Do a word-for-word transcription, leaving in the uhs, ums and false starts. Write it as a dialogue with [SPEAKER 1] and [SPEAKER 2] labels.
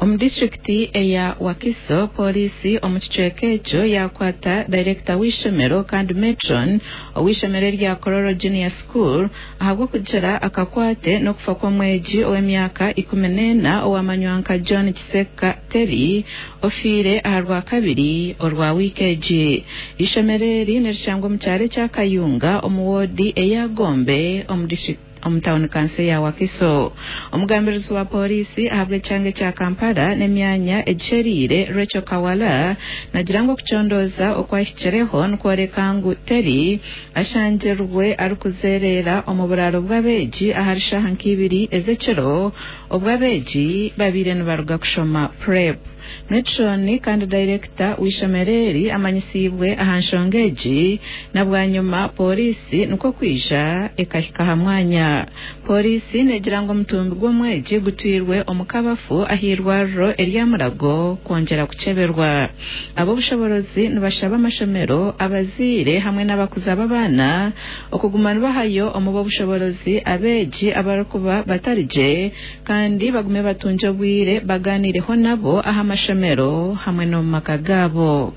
[SPEAKER 1] Omu disitulikiti eya Wakiso, pooriisi omu kicweka ekyo yakwata dayirekita w'eishomero kandi matron ow'eishomero erya Kololo Junior School ahabw'okugira akakwate n'okufa kw'omwegi ow'emyaka ikumi n'ena owamanywa nka John Kiseka Terry ofiire aha Rwakabiri orwa wiiki egi. Eishomero eri nirishangwa omu kyaro ekya Kayunga omu woodi eya Gombe omu disitulikiti omu tawuni kanso ya Wakiso. Omugambirizi wa pooriisi ahabw'ekyanga ekya Kampala n'emyanya egiheriire Rachel Kawala nagira ngu okucondooza okwahikireho nikworeka ngu Terry ashangirwe arikuzereera omu buraaro bw'abeegi ahari shaaha nk'ibiri ez'ekiro obwo abeegi babaire nibaruga kushoma prep. Matron kandi dayirekita w'eishomero eri amanyisiibwe aha nshonga egi na bwanyima pooriisi nikwo kwija ekahika aha mwanya. Pooriisi neegira ngu omutumbi gw'omwegi gutwirwe omu kabafu ah'eirwariro erya Mulago kwongyera kukyeberwa. Ab'obushoboorozi nibashaba amashomero, abazaire hamwe n'abakuza b'abaana okuguma nibahayo omu b'obushoboorozi abeegi abarikuba batari gye kandi bagume batungye obwire baganiireho nabo aha mashomero hamwe n'omu maka gaabo.